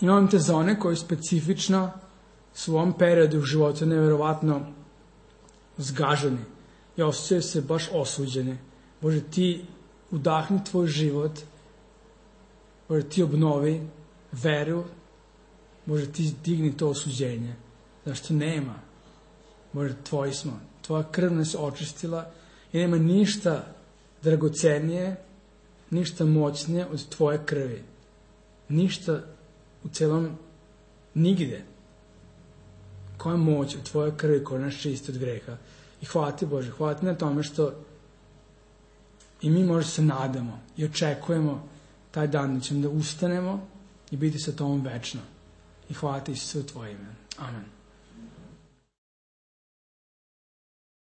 I molim te za one koji specifično su u ovom periodu u životu neverovatno zgaženi i osjećaju se baš osuđeni. Bože, ti udahni tvoj život, Bože, ti obnovi veru, Bože, ti digni to osuđenje. Zašto nema? Bože, tvoji smo. Tvoja krv nas očistila i nema ništa dragocenije, ništa moćnije od tvoje krvi. Ništa u celom, nigde. Koja je moć u tvojoj krvi koja nas čisti od greha. I hvala ti, Bože, hvala ti na tome što i mi možda se nadamo i očekujemo taj dan da ćemo da ustanemo i biti sa tobom večno. I hvala ti sve u tvoje ime. Amen.